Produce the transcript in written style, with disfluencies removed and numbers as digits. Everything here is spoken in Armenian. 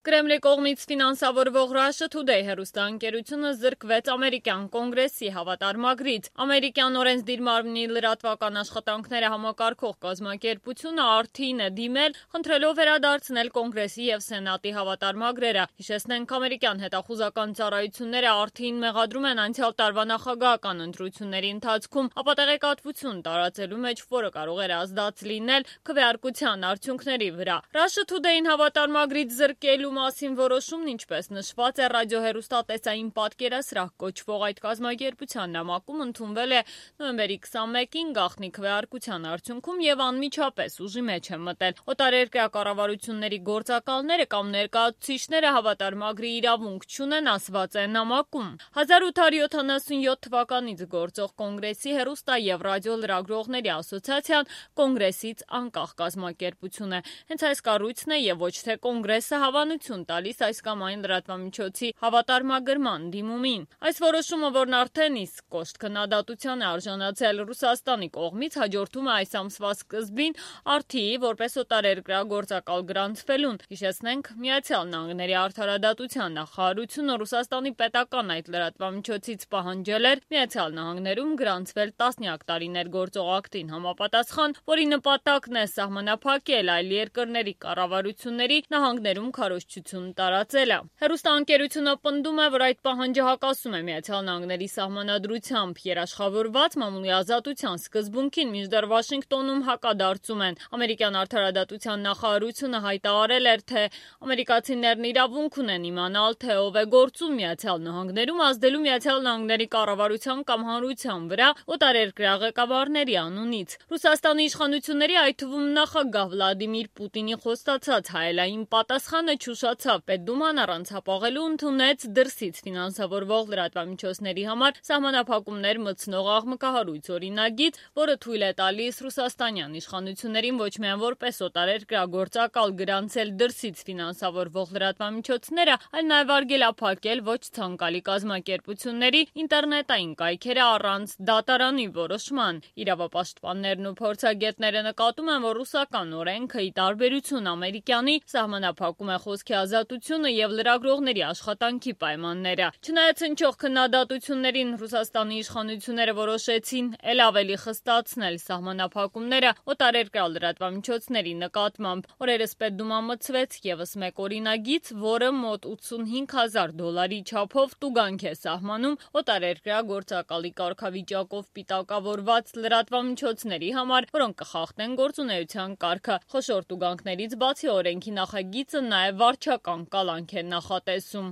Կրեմլի կողմից ֆինանսավորվող Russia Today հեռուստաընկերությունը զրկվեց ամերիկյան կոնգրեսի հավատարմագրից։ Ամերիկյան օրենսդիր մարմնի լրատվական աշխատանքները համակարգող կազմակերպությունը RT-ին է դիմել, խնդրելով վերադարձնել կոնգրեսի և սենատի հավատարմագրերը։ Հիշեցնենք, ամերիկյան հետախուզական ծառայությունները RT-ին մեղադրում են անցյալ տարվա նախագահական ընտրությունների ընթացքում ապատեղեկատվություն տարածելու մեջ, որը կարող էր ազդած լինել քվեարկության արդյունքների վրա։ Russia Today-ին հավատարմագրից զրկելու մասին որոշումն, ինչպես նշված է ռադիոհեռուստատեսային պատկերասրահ կոչվող այդ կազմակերպության նամակում, ընդունվել է նոյեմբերի 21-ին գաղտնի քվեարկության արդյունքում եւ անմիջապես ուժի մեջ է մտել։ Օտարերկրյա կառավարությունների գործակալները կամ ներկայացուցիչները հավատարմագրի իրավունք չունեն, ասված է նամակում։ 1877 թվականից գործող կոնգրեսի հեռուստա եւ ռադիո լրագրողների ասոցիացիան կոնգրեսից անկախ կազմակերպություն է։ Հենց այս կառույցն է եւ ոչ թե կոնգրեսը հավանություն տալիս այս կամ այն լրատվամիջոցի հավատարմագրման դիմումին։ Այս որոշումը, որն արդեն իսկ կոշտ քննադատության է արժանացել Ռուսաստանի կողմից, հաջորդում է այս ամսվա սկզբին RT-ի որպես օտարերկրյա գործակալ գրանցվելուն։ Հիշեցնենք, Միացյալ Նահանգների արդարադատության նախարարությունը Ռուսաստանի պետական այդ լրատվամիջոցից պահանջել էր Միացյալ Նահանգներում գրանցվել տասնյակ տարիներ գործող ակտին համապատասխան, որի նպատակն է սահմանափակել այլ երկրների կառավարությունների նահանգներում քարոզչություն տարածելը։ Հեռուստաընկերությունը պնդում է, որ այդ պահանջը հակասում է Միացյալ Նահանգների սահմանադրությամբ երաշխավորված մամուլի ազատության սկզբունքին, մինչդեռ Վաշինգտոնում հակադարձում են։ Ամերիկյան արդարադատության նախարարությունը հայտարարել էր, թե ամերիկացիներն իրավունք ունեն իմանալ, թե ով է գործում Միացյալ Նահանգներում, ազդելու Միացյալ Նահանգների կառավարության կամ հանրության վրա օտարերկրյա ղեկավարների անունից։ Ռուսաստանի իշխանությունների, այդ թվում նախագահ Վլադիմիր Պուտինի խոստացած հայելային պատասխանը չուշացավ։ Պետդուման առանցապաղելու ընդունեց դրսից ֆինանսավորվող լրատվամիջոցների համար սահմանափակումներ մտցնող աղմկահարույց օրինագիծ, որը թույլ է տալիս ռուսաստանյան իշխանություններին ոչ միայն որպես օտարերկրյա գործակալ գրանցել դրսից ֆինանսավորվող լրատվամիջոցները, այլ նաև արգելափակել ոչ ցանկալի կազմակերպությունների ինտերնետային կայքերը առանց դատարանի որոշման։ Իրավապաշտպաններն ու փորձագետները նկատում են, որ ռուսական օրենքը, ի տարբերություն ամերիկյանի, սահմանափակում է խոսքի ազատությունը եւ լրագրողների աշխատանքի պայմանները։ Չնայած հնչող քննադատություններին, Ռուսաստանի իշխանությունները որոշեցին էլ ավելի խստացնել սահմանափակումները օտարերկրյա լրատվամիջոցների նկատմամբ։ Օրերս Պետդուման մտցվեց եւս մեկ օրինագիծ, որը մոտ $80,000 չափով տուգանք է սահմանում օտարերկրյա գործակալի կարգավիճակով պիտակավորված լրատվամիջոցների համար, որոնք կխախտեն գործունեության կարգը։ Խոշոր տուգանքներից բացի օրենքի նախագիծը նաև վարչական կալանք է նախատեսում։